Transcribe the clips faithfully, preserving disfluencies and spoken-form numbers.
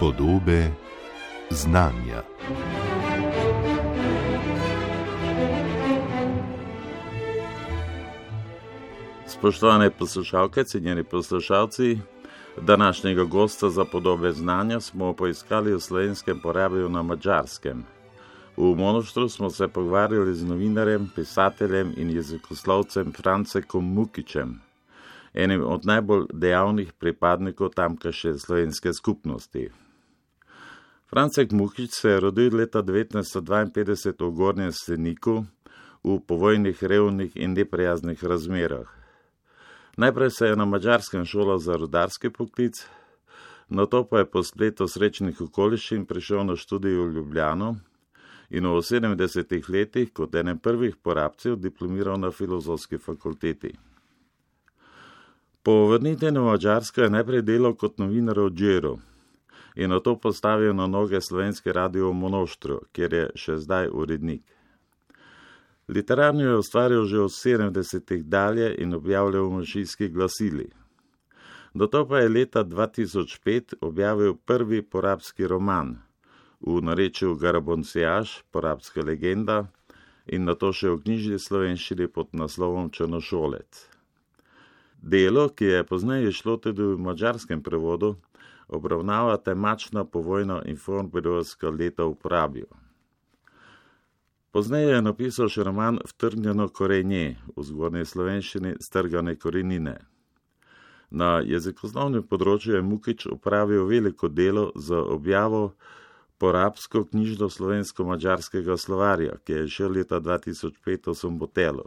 Podobe znanja. Spoštovane poslušalke, cenjeni poslušalci, današnjega gosta za Podobe znanja smo poiskali v slovenskem porabju na Madžarskem. V Monoštru smo se pogovarjali z novinarjem, pisateljem in jezikoslovcem Francekom Mukičem, enim od najbolj dejavnih pripadnikov tamkajšnje slovenske skupnosti. Francek Mukič se je rodil leta devetnajststo dvainpetdeset v Gornjem Seniku v povojnih, revnih in neprijaznih razmerah. Najprej se je na Madžarskem šolal za rudarski poklic, nato pa je po spletu srečnih okoliščin prišel na študij v Ljubljano in v sedemdesetih letih kot enem prvih porabcev diplomiral na Filozofski fakulteti. Po vrnitvi na Madžarsko je najprej delal kot novinar v Džiru in nato postavil na noge slovenski radio v Monoštru, kjer je še zdaj urednik. Literarno je ustvarjal že v sedemdesetih dalje in objavljal v manjšinskih glasilih. Nato pa je leta dva tisoč pet objavil prvi porabski roman, v narečju Garaboncijaž, porabska legenda, in nato še v knjižni slovenščini pod naslovom Črnošolec. Delo, ki je pozneje šlo tudi v madžarskem prevodu, obravnava temačna povojna in fornbedovska leta v porabju. Pozneje je napisal še roman Vtrgnjeno korenje, v zgornji slovenščini Strgane korenine. Na jezikoslovnem področju je Mukič opravil veliko delo za objavo porabsko knjižno slovensko-madžarskega slovarja, ki je šel leta dva tisoč pet v Sombotelu.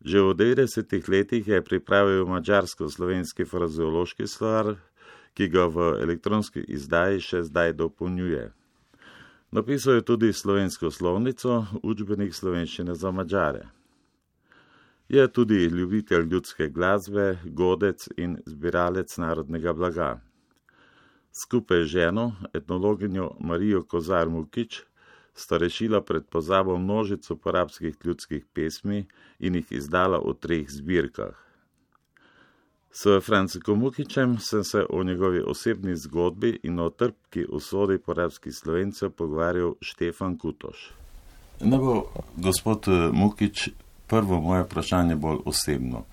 Že v devetdesetih letih je pripravil madžarsko-slovenski frazeološki slovar, ki ga v elektronski izdaji še zdaj dopolnjuje. Napisal je tudi slovensko slovnico, učbenik slovenščine za Madžare. Je tudi ljubitelj ljudske glasbe, godec in zbiralec narodnega blaga. Skupaj z ženo, etnologinjo Marijo Kozar Mukič, sta rešila pred pozabo množico porabskih ljudskih pesmi in jih izdala v treh zbirkah. S Francekom Mukičem sem se o njegovi osebni zgodbi in o trpki usodi porabskih Slovencev pogovarjal Štefan Kutoš. No bo, gospod Mukič, prvo moje vprašanje bolj osebno.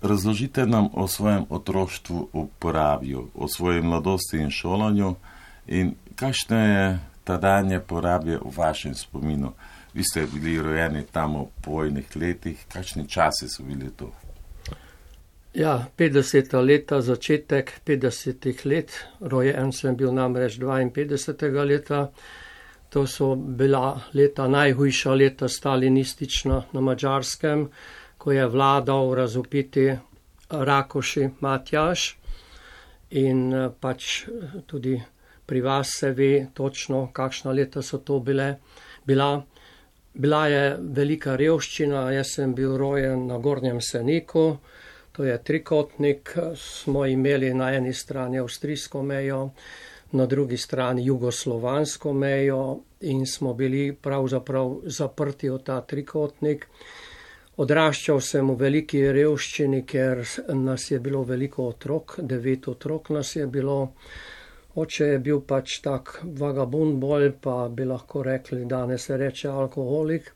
Razložite nam o svojem otroštvu v porabju, o svoji mladosti in šolanju in kakšno je tadanje porabje v vašem spominu. Vi ste bili rojeni tam v povojnih letih, kakšni časi so bili to? Ja, petdeseta leta, začetek petdesetih let, rojen sem bil namreč dvainpetdesetega leta, to so bila leta, najhujša leta stalinistična na Madžarskem, ko je vladal razvpiti Rakoši Matjaž in pač tudi pri vas se ve točno, kakšna leta so to bile. Bila, bila je velika revščina, jaz sem bil rojen na Gornjem Seniku, to je trikotnik, smo imeli na eni strani avstrijsko mejo, na drugi strani jugoslovansko mejo in smo bili pravzaprav zaprti v ta trikotnik. Odraščal sem v veliki revščini, ker nas je bilo veliko otrok, devet otrok nas je bilo. Oče je bil pač tak vagabund bolj, pa bi lahko rekli, danes se reče alkoholik.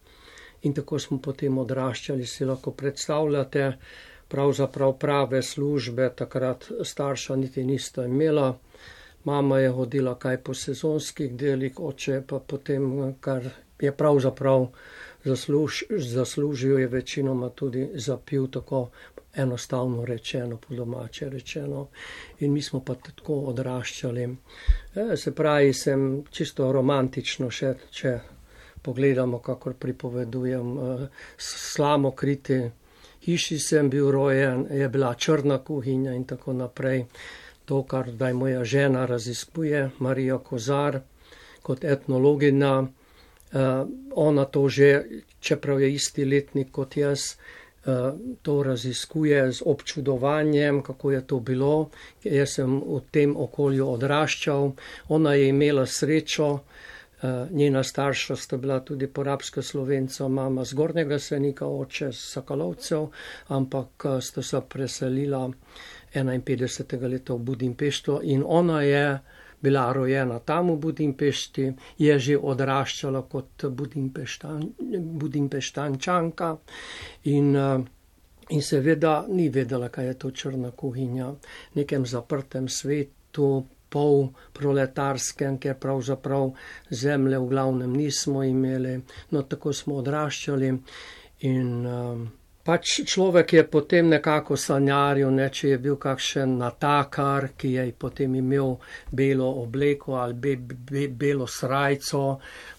In tako smo potem odraščali, si lahko predstavljate, pravzaprav prave službe, takrat starša niti nista imela. Mama je hodila kaj po sezonskih delih, oče pa potem, kar je pravzaprav zasluž, zaslužil, je večinoma tudi zapil, tako enostavno rečeno, po domače rečeno. In mi smo pa tako odraščali. E, se pravi, sem čisto romantično še, če pogledamo, kakor pripovedujem, slamokriti hiši sem bil rojen, je bila črna kuhinja in tako naprej. To, kar zdaj moja žena raziskuje, Marija Kozar, kot etnologinja, uh, ona to že, čeprav je isti letnik kot jaz, uh, to raziskuje z občudovanjem, kako je to bilo. Jaz sem v tem okolju odraščal, ona je imela srečo, njena starša sta bila tudi porabska Slovenca, mama z Gornjega Senika, oče z Sakalovcev, ampak sta se preselila enainpetdesetega leta v Budimpeštu in ona je bila rojena tam v Budimpešti, je že odraščala kot Budimpeštan, Budimpeštančanka in, in seveda ni vedela, kaj je to črna kuhinja, v nekem zaprtem svetu, pol proletarskem, ker pravzaprav zemlje v glavnem nismo imeli, no tako smo odraščali in um, pač človek je potem nekako sanjaril, ne, če je bil kakšen natakar, ki je potem imel belo obleko ali be, be, belo srajco,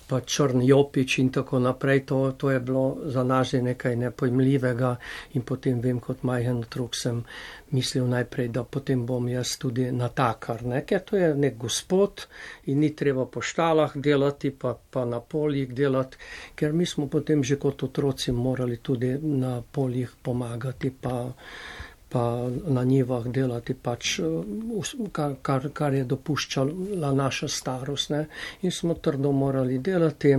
pa črn jopič in tako naprej, to, to je bilo za nas že nekaj nepojmljivega in potem vem, kot majhen otrok sem mislil najprej, da potem bom jaz tudi natakar, ne, ker to je nek gospod in ni treba po štalah delati, pa, pa na poljih delati, ker mi smo potem že kot otroci morali tudi na poljih pomagati, pa pa na njivah delati pač, kar, kar, kar je dopuščala naša starost, ne. In smo trdo morali delati,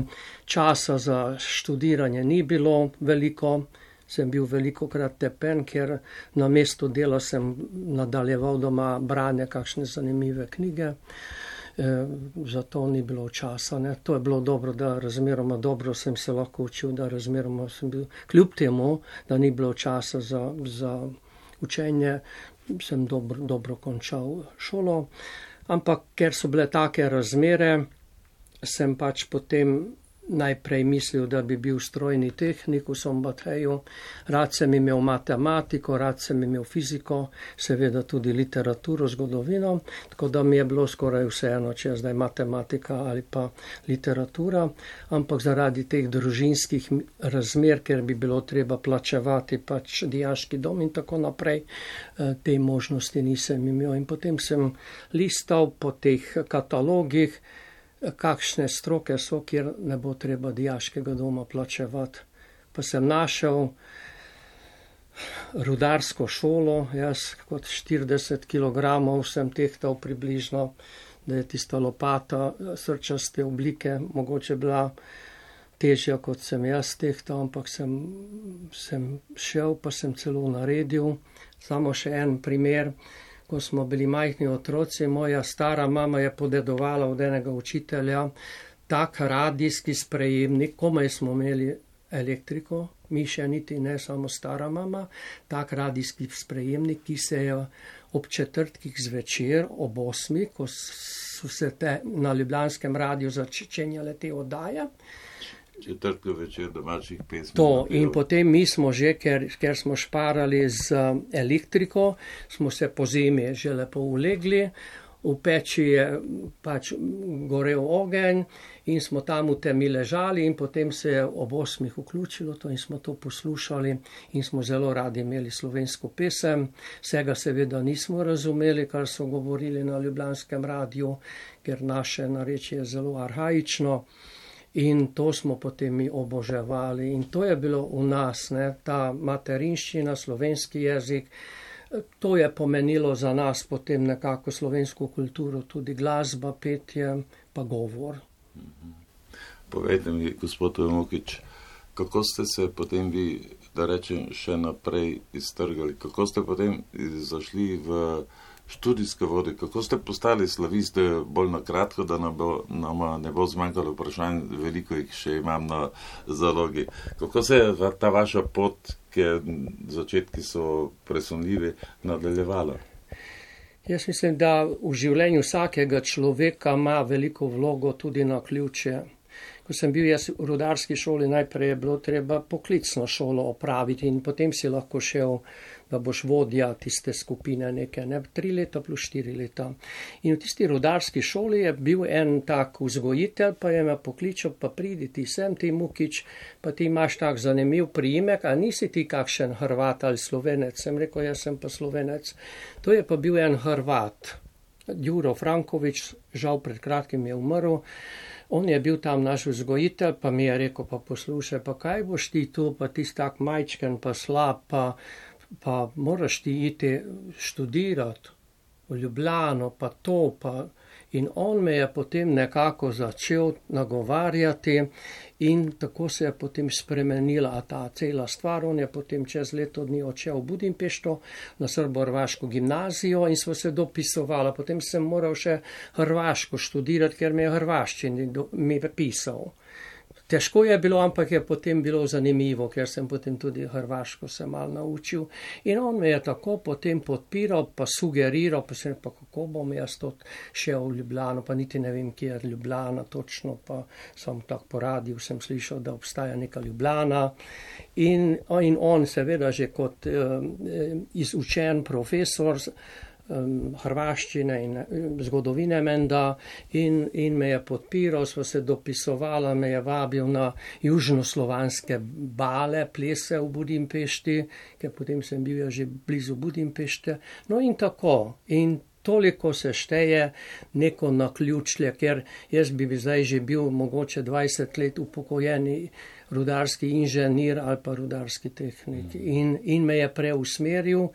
časa za študiranje ni bilo veliko, sem bil velikokrat tepen, ker na mesto dela sem nadaljeval doma branje kakšne zanimive knjige, e, zato ni bilo časa, ne. To je bilo dobro, da razmeroma dobro sem se lahko učil, da razmeroma sem bil, kljub temu, da ni bilo časa za, za učenje, sem dobro, dobro končal šolo, ampak ker so bile take razmere, sem pač potem najprej mislil, da bi bil strojni tehnik v Sombatheju, rad sem imel matematiko, rad sem imel fiziko, seveda tudi literaturo, zgodovino, tako da mi je bilo skoraj vseeno, če je zdaj matematika ali pa literatura, ampak zaradi teh družinskih razmer, ker bi bilo treba plačevati pač dijaški dom in tako naprej, te možnosti nisem imel in potem sem listal po teh katalogih, kakšne stroke so, kjer ne bo treba dijaškega doma plačevati. Pa sem našel rudarsko šolo, jaz kot štirideset kilogramov sem tehtal približno, da je tista lopata srčaste oblike mogoče bila težja, kot sem jaz tehtal, ampak sem, sem šel, pa sem celo naredil. Samo še en primer. Ko smo bili majhni otroci, moja stara mama je podedovala od enega učitelja tak radijski sprejemnik, komaj smo imeli elektriko, mi še niti ne, samo stara mama, tak radijski sprejemnik, ki se je ob četrtkih zvečer, ob osmih, ko so se te na ljubljanskem radiju začenjale te oddaje, četrtko večer domačih pesmi. To in potem mi smo že, ker, ker smo šparali z elektriko, smo se po zimi že lepo ulegli, v peči je pač gorel ogenj in smo tam v temi ležali in potem se je ob osmih vključilo to in smo to poslušali in smo zelo radi imeli slovensko pesem. Vsega seveda nismo razumeli, kar so govorili na ljubljanskem radiju, ker naše narečje je zelo arhaično. In to smo potem mi oboževali in to je bilo v nas, ne, ta materinščina, slovenski jezik, to je pomenilo za nas potem nekako slovensko kulturo, tudi glasba, petje, pa govor. Povejte mi, gospod Mukič, kako ste se potem vi, da rečem, še naprej iztrgali, kako ste potem zašli v študijske vode, kako ste postali slaviste, bolj na kratko, da nam, bo, nam ne bo zmanjkalo vprašanj, veliko jih še imam na zalogi. Kako se je ta vaša pot, ker začetki so presunljivi, nadaljevala? Jaz mislim, da v življenju vsakega človeka ima veliko vlogo tudi na ključe. Ko sem bil jaz v rudarski šoli, najprej je bilo treba poklicno šolo opraviti in potem si lahko šel, da boš vodja tiste skupine neke, ne, tri leta plus štiri leta. In v tisti rudarski šoli je bil en tak vzgojitelj, pa je me pokličal, pa pridi ti sem, ti Mukič, pa ti imaš tak zanimiv priimek, a nisi ti kakšen Hrvat ali Slovenec? Sem rekel, jaz sem pa Slovenec. To je pa bil en Hrvat, Đuro Franković, žal pred kratkim je umrl. On je bil tam naš vzgojitelj, pa mi je rekel, pa poslušaj, pa kaj boš ti tu, pa ti tak majčken, pa slab, pa pa moraš ti iti študirati v Ljubljano, pa to, pa In on me je potem nekako začel nagovarjati in tako se je potem spremenila ta cela stvar. On je potem čez leto dni odšel v Budimpešto na srbo-hrvaško gimnazijo in smo se dopisovali. Potem sem moral še hrvaško študirati, ker me je hrvaščini mi pisal. Težko je bilo, ampak je potem bilo zanimivo, ker sem potem tudi hrvaško se malo naučil. In on me je tako potem podpiral, pa sugeriral, pa sem pa kako bom jaz to šel v Ljubljano, pa niti ne vem, kje je Ljubljana točno, pa sem tako po radiju sem slišal, da obstaja neka Ljubljana. In, in on seveda že kot uh, izučen profesor um, hrvaščine in zgodovine menda in, in me je podpiral, sva se dopisovala, me je vabil na južnoslovanske bale, plese v Budimpešti, ker potem sem bil ja že blizu Budimpešte. No in tako. In toliko se šteje neko naključje, ker jaz bi zdaj že bil mogoče dvajset let upokojeni rudarski inženir ali pa rudarski tehnik. In, in me je preusmeril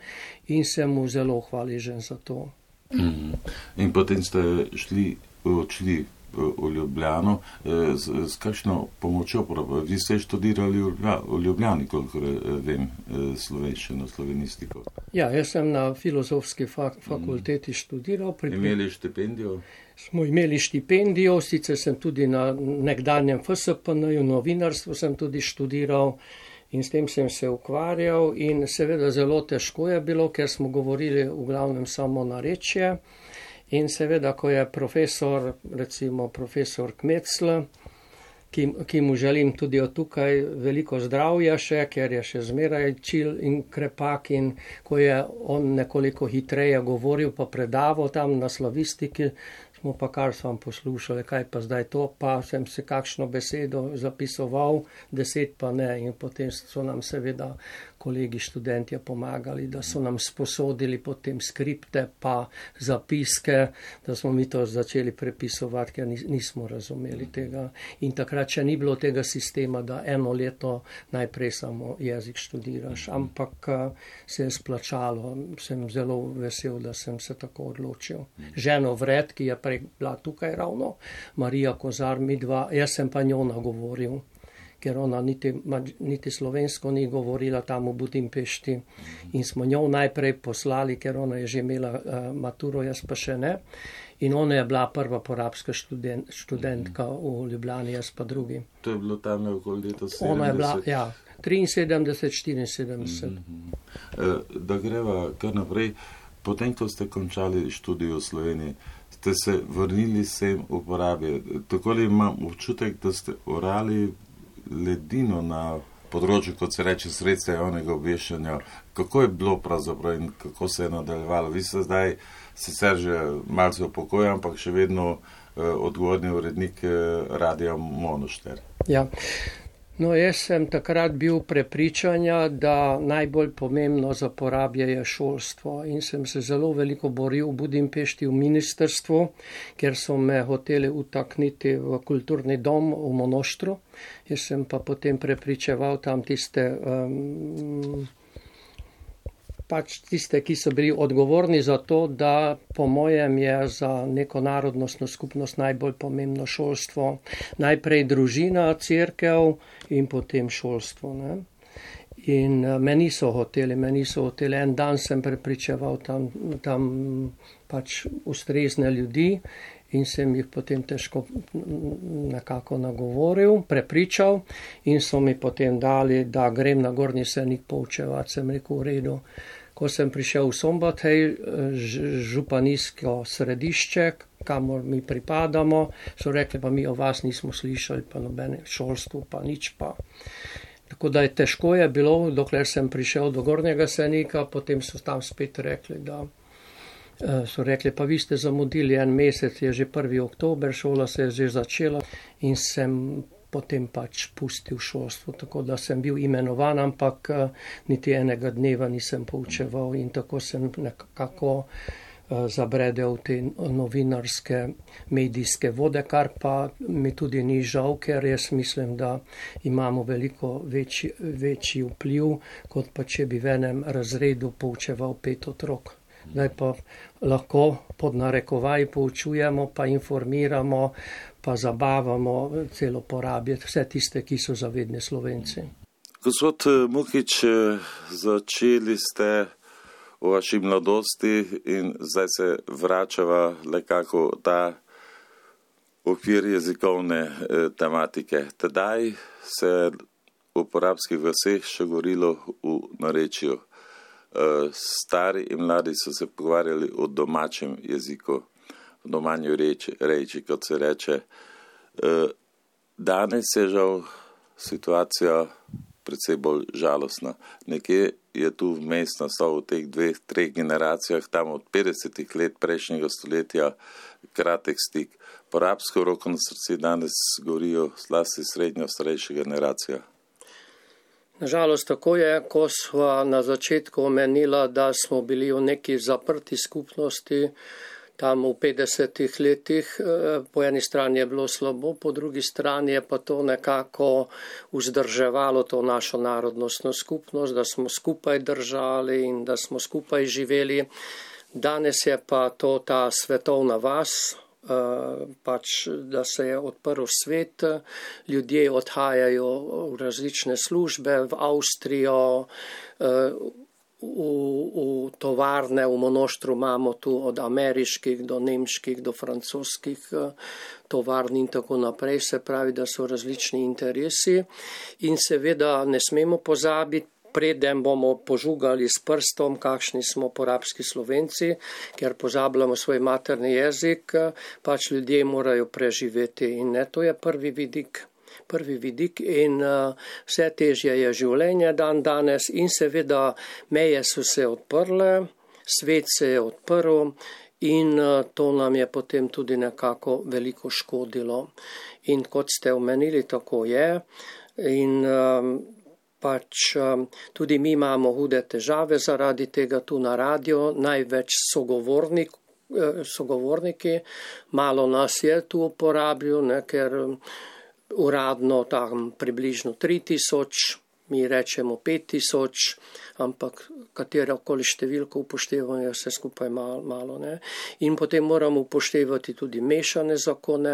in sem mu zelo hvaležen za to. Mm. In potem ste šli, odšli v Ljubljano. S, s kakšno pomočjo? Vi ste študirali v Ljubljani, koliko vem, slovenščino, slovenistiko. Ja, jaz sem na filozofski fak- fakulteti študiral. Pri... Imeli štipendijo? Smo imeli štipendijo, sicer sem tudi na nekdanjem F S P N-ju, novinarstvu sem tudi študiral in s tem sem se ukvarjal in seveda zelo težko je bilo, ker smo govorili v glavnem samo narečje in seveda, ko je profesor, recimo profesor Kmecl, ki, ki mu želim tudi od tukaj veliko zdravja še, ker je še zmeraj čil in krepak in ko je on nekoliko hitreje govoril pa predaval tam na slavistiki, smo pa kar sam poslušali, kaj pa zdaj to, pa sem se kakšno besedo zapisoval, deset pa ne in potem so nam seveda kolegi študentje pomagali, da so nam sposodili potem skripte pa zapiske, da smo mi to začeli prepisovati, ker nismo razumeli tega. In takrat še ni bilo tega sistema, da eno leto najprej samo jezik študiraš, ampak se je splačalo. Sem zelo vesel, da sem se tako odločil. Ženo Vred, ki je prej bila tukaj ravno, Marija Kozar, mi dva, jaz sem pa njo nagovoril, ker ona niti, niti slovensko ni govorila tam v Budimpešti in smo njo najprej poslali, ker ona je že imela uh, maturo, jaz pa še ne. In ona je bila prva porabska študent, študentka v Ljubljani, jaz pa drugi. To je bilo tam okoli leta sedemdeset? Ona je bila, ja, triinsedemdeset, štiriinsedemdeset. Mm-hmm. Da greva kar naprej, potem, ko ste končali študij v Sloveniji, ste se vrnili sem v uporabi. Tako li imam občutek, da ste orali ledino na področju, kot se reče, sredstva javnega obveščanja. Kako je bilo pravzaprav in kako se je nadaljevalo? Vi ste zdaj sicer že malce v pokoju, ampak še vedno eh, odgovorni urednik eh, Radia Monošter. Ja. No, jaz sem takrat bil prepričanja, da najbolj pomembno za porabje je šolstvo in sem se zelo veliko boril v Budimpešti v ministrstvu, ker so me hoteli utakniti v kulturni dom v Monoštru. Jaz sem pa potem prepričeval tam tiste, um, pač tiste, ki so bili odgovorni za to, da po mojem je za neko narodnostno skupnost najbolj pomembno šolstvo. Najprej družina, cerkev in potem šolstvo. Ne? In me niso hoteli, me niso hoteli. En dan sem prepričeval tam, tam pač ustrezne ljudi in sem jih potem težko nekako nagovoril, prepričal in so mi potem dali, da grem na Gornji Senik poučevati. Sem rekel, v redu. Ko sem prišel v Sombatej, županijsko središče, kamor mi pripadamo, so rekli, pa mi o vas nismo slišali, pa nobene šolstvo, pa nič pa. Tako da je težko je bilo, dokler sem prišel do Gornjega Senika, potem so tam spet rekli, da so rekli, pa vi ste zamudili en mesec, je že prvi oktober, šola se je že začela in sem potem pač pustil šolstvo, tako da sem bil imenovan, ampak niti enega dneva nisem poučeval in tako sem nekako zabredel te novinarske, medijske vode, kar pa mi tudi ni žal, ker jaz mislim, da imamo veliko večji, večji vpliv, kot pa če bi v enem razredu poučeval pet otrok. Zdaj pa lahko pod narekovaj poučujemo, pa informiramo, pa zabavamo, celo porabiti vse tiste, ki so zavedni Slovenci. Gospod Mukič, začeli ste v vaši mladosti in zdaj se vračava nekako ta okvir jezikovne tematike. Tedaj se v porabskih vaseh še govorilo v narečju. Stari in mladi so se pogovarjali o domačem jeziku, v domanju reči, reči, kot se reče. Danes je žal situacija precej bolj žalostna. Nekje je tu vmes nastal v teh dveh, treh generacijah, tam od petdesetih let prejšnjega stoletja, kratek stik. Porabsko roko na srcu danes govorijo zlasti srednjo starejša generacija. Nažalost, tako je, ko sva na začetku omenila, da smo bili v neki zaprti skupnosti, tam v petdesetih letih, po eni strani je bilo slabo, po drugi strani je pa to nekako vzdrževalo to našo narodnostno skupnost, da smo skupaj držali in da smo skupaj živeli. Danes je pa to ta svetovna vas, pač, da se je odprl svet, ljudje odhajajo v različne službe, v Avstrijo, V, v tovarne, v mnoštru imamo tu od ameriških do nemških do francoskih tovarn in tako naprej, se pravi, da so različni interesi in seveda ne smemo pozabiti, preden bomo požugali s prstom, kakšni smo porabski Slovenci, ker pozabljamo svoj materni jezik, pač ljudje morajo preživeti in ne, to je prvi vidik. prvi vidik in uh, vse težje je življenje dan danes in seveda meje so se odprle, svet se je odprl in uh, to nam je potem tudi nekako veliko škodilo. In kot ste omenili, tako je in um, pač um, tudi mi imamo hude težave zaradi tega tu na radio, največ sogovornik, uh, sogovorniki, malo nas je tu uporabil, ne, ker um, uradno tam približno tri tisoč, mi rečemo pet tisoč, ampak katerokoli številko upoštevamo, je vse skupaj malo, malo, ne. In potem moramo upoštevati tudi mešane zakone,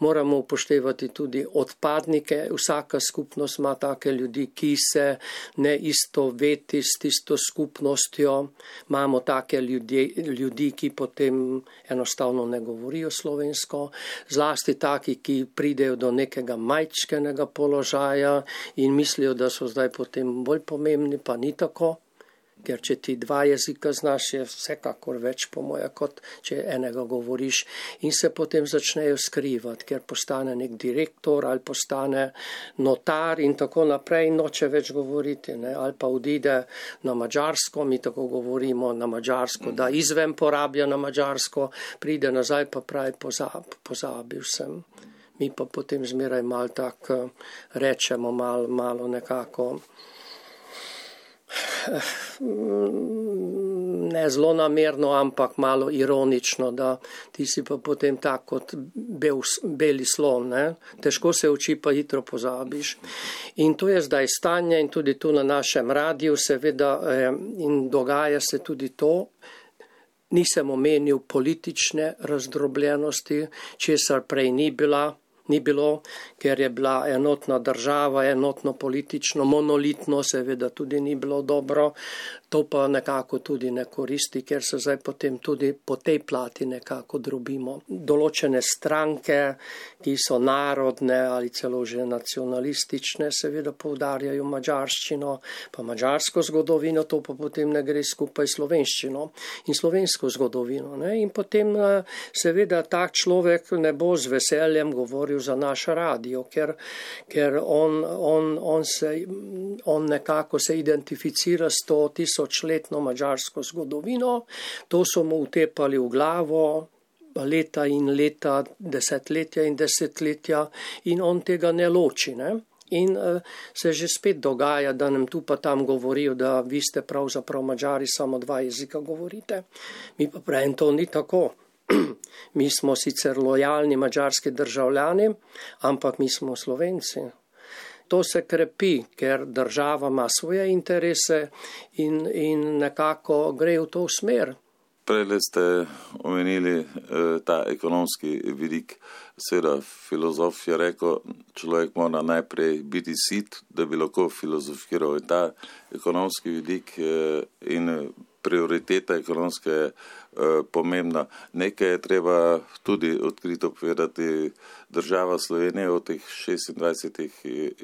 moramo upoštevati tudi odpadnike, vsaka skupnost ima take ljudi, ki se ne istoveti s tisto skupnostjo, imamo take ljudi, ljudi, ki potem enostavno ne govorijo slovensko, zlasti taki, ki pridejo do nekega majčkenega položaja in mislijo, da so zdaj potem bolj pomembni, pa ni tako. Ker če ti dva jezika znaš, je vsekakor več po moje, kot če enega govoriš in se potem začnejo skrivati, ker postane nek direktor ali postane notar in tako naprej in noče več govoriti, ne? Ali pa odide na Madžarsko, mi tako govorimo na Madžarsko, da izven porablja na Madžarsko, pride nazaj pa pravi pozab, pozabil sem. Mi pa potem zmeraj malo tak rečemo, malo, malo nekako ne zelo namerno, ampak malo ironično, da ti si pa potem tak kot bel, beli slon, ne? Težko se uči, pa hitro pozabiš. In to je zdaj stanje in tudi tu na našem radiju seveda eh, in dogaja se tudi to. Nisem omenil politične razdrobljenosti, česar prej ni bila. Ni bilo, ker je bila enotna država, enotno politično, monolitno, seveda tudi ni bilo dobro. To pa nekako tudi ne koristi, ker se zdaj potem tudi po tej plati nekako drobimo. Določene stranke, ki so narodne ali celo že nacionalistične, seveda poudarjajo madžarščino, pa madžarsko zgodovino, to pa potem ne gre skupaj slovenščino in slovensko zgodovino. Ne? In potem seveda tak človek ne bo z veseljem govoril za naš radio, ker, ker on, on, on, se, on nekako se identificira s to tisočletno madžarsko zgodovino, to so mu utepali v glavo leta in leta, desetletja in desetletja in on tega ne loči, ne? In uh, se že spet dogaja, da nam tu pa tam govorijo, da vi ste pravzaprav Madžari, samo dva jezika govorite. Mi pa pravim, to ni tako. Mi smo sicer lojalni madžarski državljani, ampak mi smo Slovenci. To se krepi, ker država ima svoje interese in, in nekako gre v to smer. Prele ste omenili eh, ta ekonomski vidik. Seveda, filozof je rekel, človek mora najprej biti sit, da bi lahko filozofiral. In ta ekonomski vidik eh, in prioriteta ekonomske je eh, pomembna. Nekaj je treba tudi odkrito povedati. Država Slovenije v teh šestindvajsetih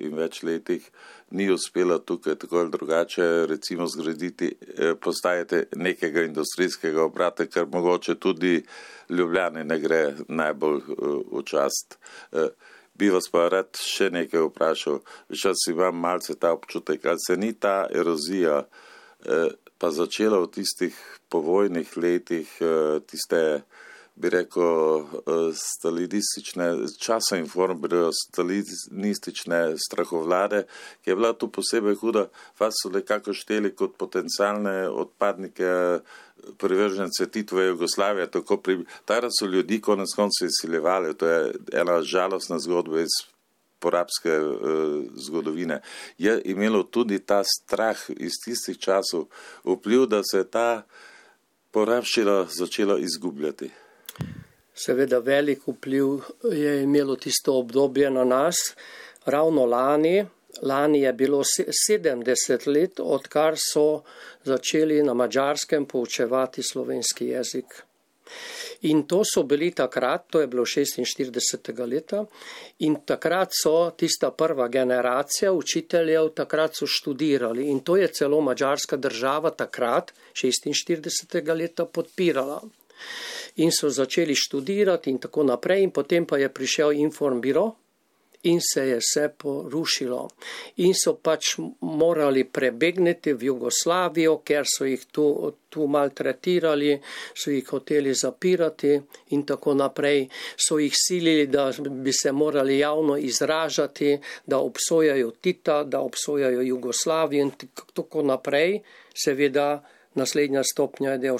in več letih ni uspela tukaj tako ali drugače recimo zgraditi, eh, postajati nekega industrijskega obrata, kar mogoče tudi Ljubljani ne gre najbolj eh, v čast. Eh, bi vas pa rad še nekaj vprašal. Včas imam malce ta občutek, ali se ni ta erozija eh, pa začela v tistih povojnih letih, eh, tiste, bi rekel, stalinistične, časa in form, stalinistične strahovlade, ki je bila tu posebej huda, vas so nekako šteli kot potencialne odpadnike privržence Titove Jugoslavije, tako pri... Takrat so ljudi konec koncev izsiljevali, to je ena žalostna zgodba iz porabske uh, zgodovine. Je imelo tudi ta strah iz tistih časov vpliv, da se je ta porabščina začela izgubljati. Seveda velik vpliv je imelo tisto obdobje na nas. Ravno lani, lani je bilo sedemdeset let, odkar so začeli na Madžarskem poučevati slovenski jezik. In to so bili takrat, to je bilo šestinštiridesetega leta, in takrat so tista prva generacija učiteljev, takrat so študirali. In to je celo madžarska država takrat, šestinštiridesetega leta, podpirala. In so začeli študirati in tako naprej, in potem pa je prišel Informbiro in se je vse porušilo. In so pač morali prebegniti v Jugoslavijo, ker so jih tu, tu maltretirali, so jih hoteli zapirati in tako naprej. So jih silili, da bi se morali javno izražati, da obsojajo Tita, da obsojajo Jugoslavijo in tako naprej. Seveda, naslednja stopnja je, da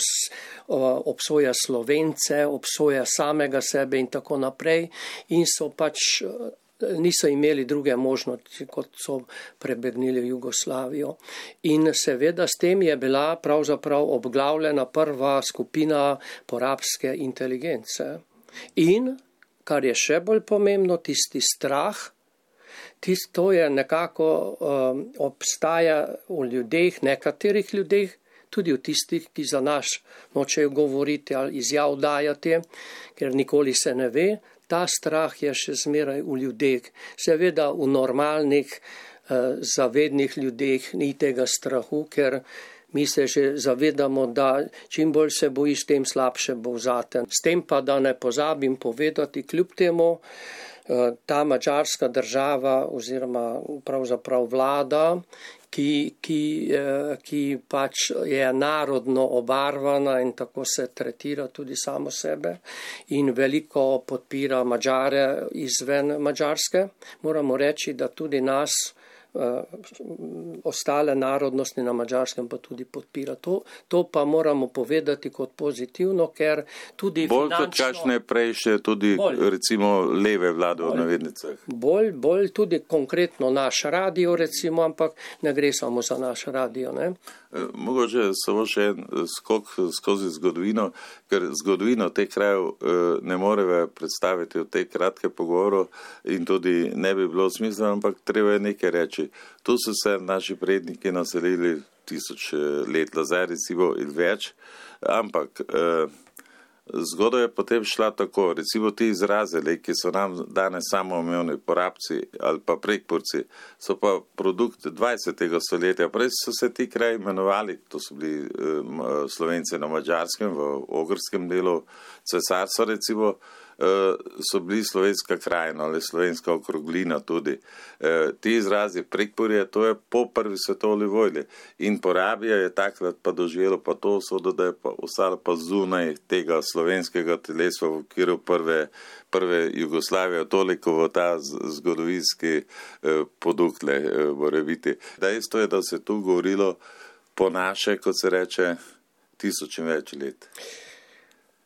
obsoja Slovence, obsoja samega sebe in tako naprej. In so pač niso imeli druge možnosti, kot so prebegnili v Jugoslavijo. In seveda s tem je bila pravzaprav obglavljena prva skupina porabske inteligence. In, kar je še bolj pomembno, tisti strah, tisto je nekako um, obstaja v ljudeh, nekaterih ljudeh, tudi v tistih, ki za naš nočejo govoriti ali izjav dajati, ker nikoli se ne ve, ta strah je še zmeraj v ljudeh. Seveda v normalnih, eh, zavednih ljudeh ni tega strahu, ker mi se že zavedamo, da čim bolj se bojiš, tem slabše bo vzaten. S tem pa, da ne pozabim povedati, kljub temu, eh, ta madžarska država oziroma pravzaprav vlada, Ki, ki, ki pač je narodno obarvana in tako se tretira tudi samo sebe in veliko podpira Madžare izven Madžarske. Moramo reči, da tudi nas, ostale narodnosti na Madžarskem pa tudi podpira. To, to pa moramo povedati kot pozitivno, ker tudi bolj finančno... Bolj kot kakšne prejše tudi bolj, recimo leve vlade v navednicah. Bolj, bolj tudi konkretno naš radio recimo, ampak ne gre samo za naš radio. Ne? Mogoče samo še en skok skozi zgodovino, ker zgodovino teh krajev ne moreve predstaviti v tej kratke pogovoru in tudi ne bi bilo smisla, ampak treba je nekaj reči. Tu so se naši predniki naselili tisoč let nazaj, recimo in več, ampak eh, zgodba je potem šla tako, recimo ti izrazili, ki so nam danes samoumevni porabci ali pa prekmurci, so pa produkt dvajsetega stoletja. Prej so se ti kraji imenovali, to so bili eh, Slovenci na Madžarskem, v ogrskem delu cesarstva recimo, so bili slovenska krajina ali slovenska okroglina tudi. E, ti izrazi Prekmurje, to je po prvi svetovni vojni in Porabija je takrat pa doživelo pa to usodo, da je pa ostalo pa zunaj tega slovenskega telesa v okviru prve, prve Jugoslavije, toliko v ta zgodovinski e, podukle e, mora biti. Dejstvo je, da se tu govorilo po naše, kot se reče, tisoč in več let.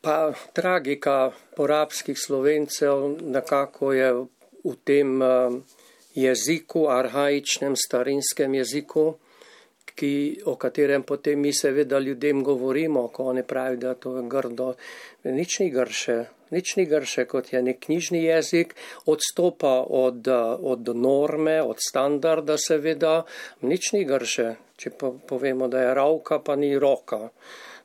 Pa tragika porabskih Slovencev nekako je v tem jeziku, arhaičnem, starinskem jeziku, ki, o katerem potem mi seveda ljudem govorimo, ko oni pravijo, da to je grdo. Nič ni grše, nič ni grše, kot je nek knjižni jezik, odstopa od, od norme, od standarda seveda, nič ni grše, če pa povemo, da je ravka, pa ni roka.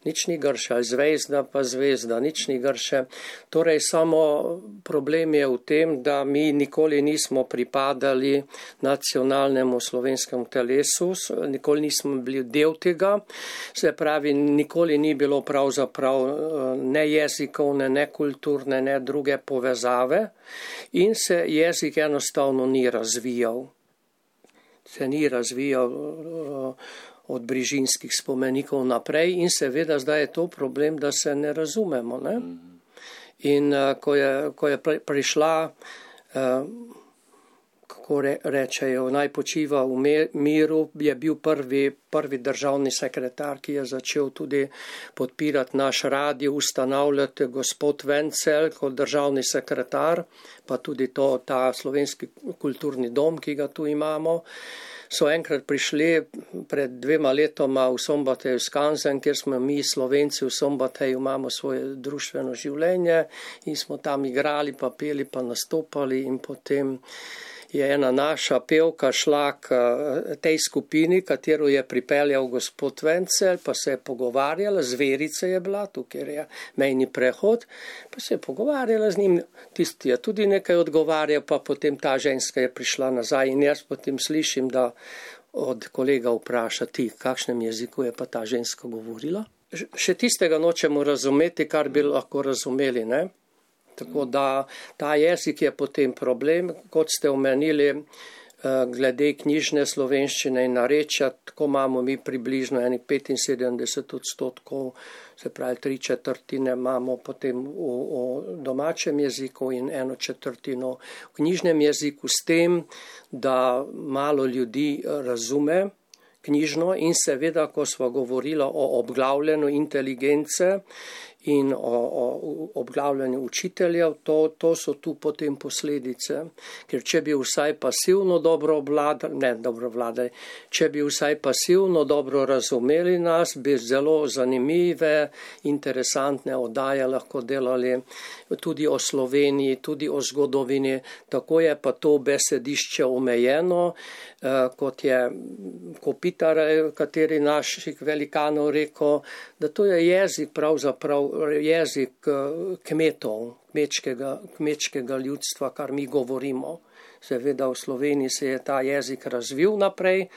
Nič ni grše, ali zvezda pa zvezda, nič ni grše. Torej samo problem je v tem, da mi nikoli nismo pripadali nacionalnemu slovenskemu telesu, nikoli nismo bili del tega, se pravi, nikoli ni bilo pravzaprav ne jezikovne, ne kulturne, ne druge povezave in se jezik enostavno ni razvijal. Se ni razvijal od brižinskih spomenikov naprej in seveda zdaj je to problem, da se ne razumemo. Ne? In uh, ko, je, ko je prišla, uh, kako re, rečejo, naj počiva v miru, je bil prvi, prvi državni sekretar, ki je začel tudi podpirati naš radio, ustanavljati gospod Vencel kot državni sekretar, pa tudi to, ta slovenski kulturni dom, ki ga tu imamo. So enkrat prišli pred dvema letoma v Sombateju Skanzen, kjer smo mi Slovenci v Sombateju imamo svoje društveno življenje in smo tam igrali, pa peli, pa nastopali in potem je ena naša pevka šla k tej skupini, katero je pripeljal gospod Vencel, pa se je pogovarjala, zverice je bila, tukaj je mejni prehod, pa se je pogovarjala z njim, tisti je tudi nekaj odgovarjal, pa potem ta ženska je prišla nazaj in jaz potem slišim, da od kolega vpraša ti, kakšnem jeziku je pa ta ženska govorila. Še tistega nočemo razumeti, kar bi lahko razumeli, ne? Tako da ta jezik je potem problem, kot ste omenili, glede knjižne slovenščine in narečja, tako imamo mi približno eni petinsedemdeset odstotkov, se pravi tri četrtine imamo potem v, v domačem jeziku in eno četrtino v knjižnem jeziku, s tem, da malo ljudi razume knjižno in seveda, ko smo govorili o obglavljanju inteligence in o, o obglavljanju učiteljev, to, to so tu potem posledice. Ker če bi vsaj pasivno dobro obvladali, ne dobro vladali, če bi vsaj pasivno dobro razumeli nas, bi zelo zanimive, interesantne oddaje lahko delali tudi o Sloveniji, tudi o zgodovini. Tako je pa to besedišče omejeno, kot je Kopitar, kateri naših velikanov rekel, da to je jezik pravzaprav jezik kmetov, kmečkega, kmečkega ljudstva, kar mi govorimo. Seveda v Sloveniji se je ta jezik razvil naprej,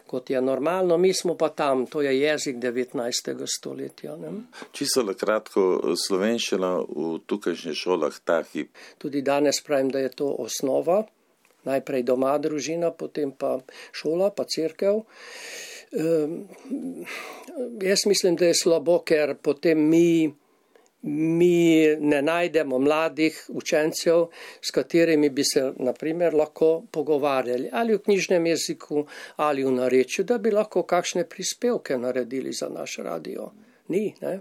kot je normalno, mi smo pa tam, to je jezik devetnajstega stoletja. Ne? Čisto na kratko, slovenščina v tukajšnjih šolah ta hip. Tudi danes pravim, da je to osnova, najprej doma družina, potem pa šola, pa cerkev. Um, jaz mislim, da je slabo, ker potem mi mi ne najdemo mladih učencev, s katerimi bi se naprimer lahko pogovarjali ali v knjižnem jeziku ali v narečju, da bi lahko kakšne prispevke naredili za naš radio. Ni, ne?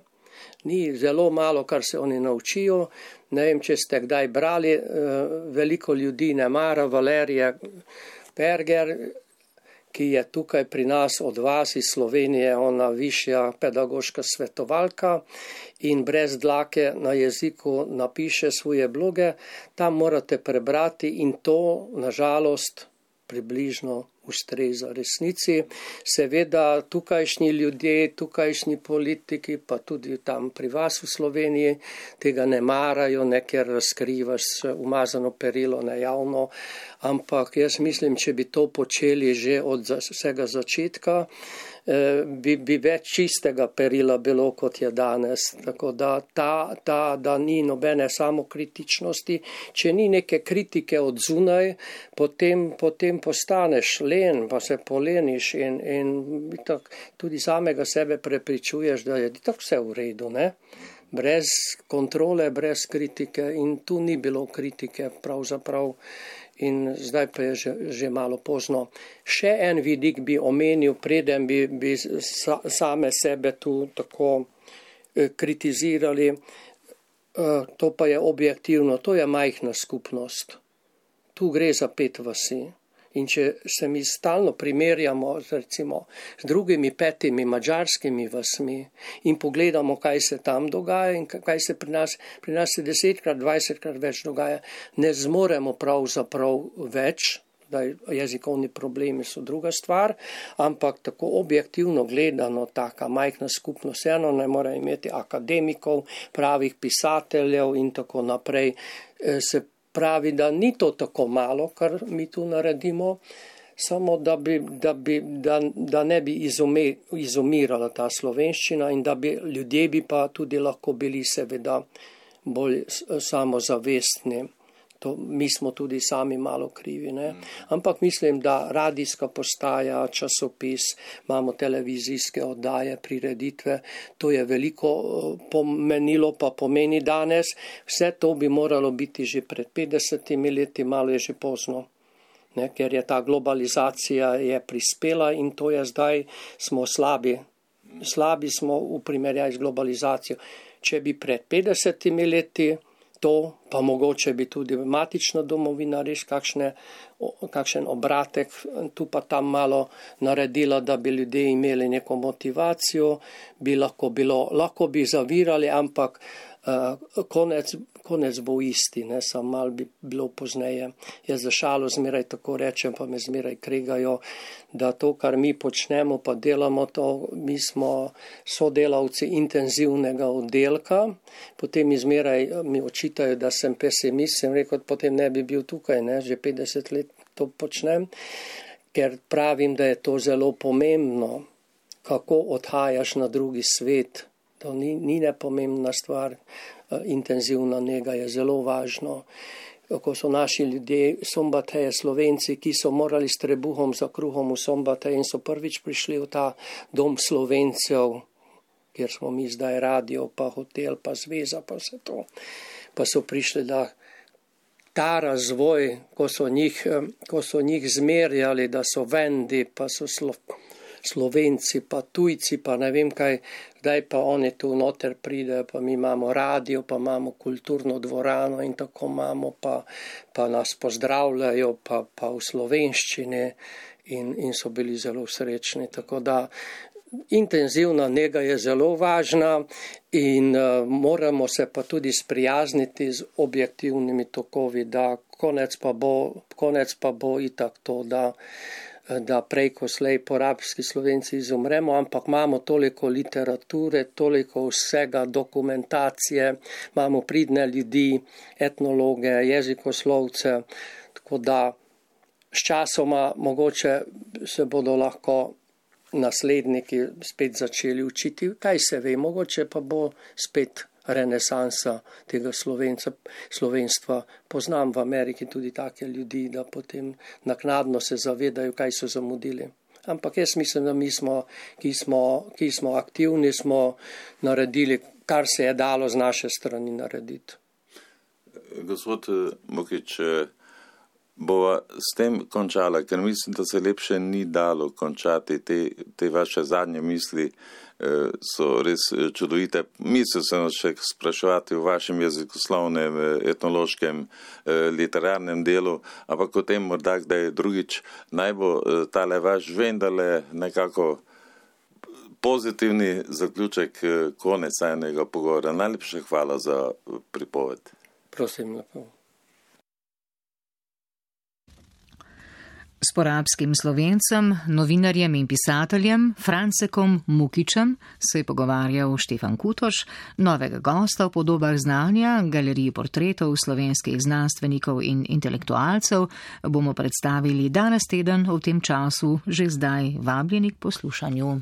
Ni, zelo malo, kar se oni naučijo. Ne vem, če ste kdaj brali, veliko ljudi ne mara Valerija Perger, ki je tukaj pri nas od vas iz Slovenije, ona višja pedagoška svetovalka in brez dlake na jeziku napiše svoje bloge, tam morate prebrati in to, nažalost, približno ustreza resnici. Seveda tukajšnji ljudje, tukajšnji politiki, pa tudi tam pri vas v Sloveniji, tega ne marajo, ne ker razkrivaš umazano perilo nejavno, ampak jaz mislim, če bi to počeli že od vsega začetka, bi, bi več čistega perila bilo, kot je danes. Tako da, ta, ta, da ni nobene samokritičnosti, če ni neke kritike od zunaj, potem, potem postaneš len, pa se poleniš in, in tak, tudi samega sebe prepričuješ, da je tako vse v redu, ne? Brez kontrole, brez kritike in tu ni bilo kritike pravzaprav. In zdaj pa je že, že malo pozno. Še en vidik bi omenil, preden bi, bi sa, same sebe tu tako eh, kritizirali, eh, to pa je objektivno, to je majhna skupnost. Tu gre za pet vasi. In če se mi stalno primerjamo z, recimo, z drugimi petimi madžarskimi vasmi in pogledamo, kaj se tam dogaja in kaj se pri nas, pri nas se desetkrat, dvajsetkrat več dogaja, ne zmoremo pravzaprav več, da jezikovni problemi so druga stvar, ampak tako objektivno gledano, taka majhna skupnost, eno ne mora imeti akademikov, pravih pisateljev in tako naprej, se pravi, da ni to tako malo, kar mi tu naredimo, samo da, bi, da, bi, da, da ne bi izume, izumirala ta slovenščina in da bi ljudje bi pa tudi lahko bili seveda bolj samozavestni. To, mi smo tudi sami malo krivi, ne? Ampak mislim, da radijska postaja, časopis, imamo televizijske oddaje, prireditve, to je veliko pomenilo, pa pomeni danes. Vse to bi moralo biti že pred petdesetimi leti, malo je že pozno, ne? Ker je ta globalizacija je prispela in to je zdaj, smo slabi. Slabi smo v primerjavi z globalizacijo. Če bi pred petdesetimi leti to, pa mogoče bi tudi matična domovina res kakšne, kakšen obratek tu pa tam malo naredila, da bi ljudje imeli neko motivacijo, bi lahko bilo, lahko bi zavirali, ampak uh, konec, konec bo isti, ne, samo malo bi bilo pozneje. Jaz za šalo zmeraj tako rečem, pa me zmeraj kregajo, da to, kar mi počnemo, pa delamo to, mi smo sodelavci intenzivnega oddelka, potem mi zmeraj mi očitajo, da sem pesimist, sem rekel, potem ne bi bil tukaj, ne, že petdeset let to počnem, ker pravim, da je to zelo pomembno, kako odhajaš na drugi svet, to ni, ni nepomembna stvar, intenzivna nega je zelo važno. Ko so naši ljudje, Sombateje, Slovenci, ki so morali s trebuhom za kruhom v Sombateje in so prvič prišli v ta dom Slovencev, kjer smo mi zdaj radio, pa hotel, pa zveza, pa vse to. Pa so prišli, da ta razvoj, ko so njih, ko so njih zmerjali, da so vendi, pa so slo, Slovenci, pa tujci, pa ne vem kaj, zdaj pa oni tu noter pridejo, pa mi imamo radio, pa imamo kulturno dvorano in tako imamo, pa, pa nas pozdravljajo, pa, pa v slovenščini in, in so bili zelo srečni. Tako da intenzivna nega je zelo važna in uh, moramo se pa tudi sprijazniti z objektivnimi tokovi, da konec pa bo, konec pa bo itak to, da da prej ko slej porabski Slovenci izumremo, ampak imamo toliko literature, toliko vsega, dokumentacije, imamo pridne ljudi, etnologe, jezikoslovce, tako da s časoma mogoče se bodo lahko nasledniki spet začeli učiti, kaj se ve, mogoče pa bo spet renesansa tega Slovenca, slovenstva. Poznam v Ameriki tudi take ljudi, da potem naknadno se zavedajo, kaj so zamudili. Ampak jaz mislim, da mi smo, ki smo, ki smo aktivni, smo naredili, kar se je dalo z naše strani narediti. Gospod Mukič, bova s tem končala, ker mislim, da se lepše ni dalo končati te, te vaše zadnje misli, so res čudovite. Mislil sem še spraševati v vašem jezikoslovnem, etnološkem, literarnem delu, ampak o tem morda kdaj drugič naj bo tale vaš vendarle nekako pozitivni zaključek konec enega pogovora. Najlepša hvala za pripoved. Prosim, lepo. S porabskim Slovencem, novinarjem in pisateljem Francekom Mukičem se je pogovarjal Štefan Kutoš, novega gosta v podobah znanja, galeriji portretov slovenskih znanstvenikov in intelektualcev bomo predstavili danes teden v tem času, že zdaj vabljeni k poslušanju.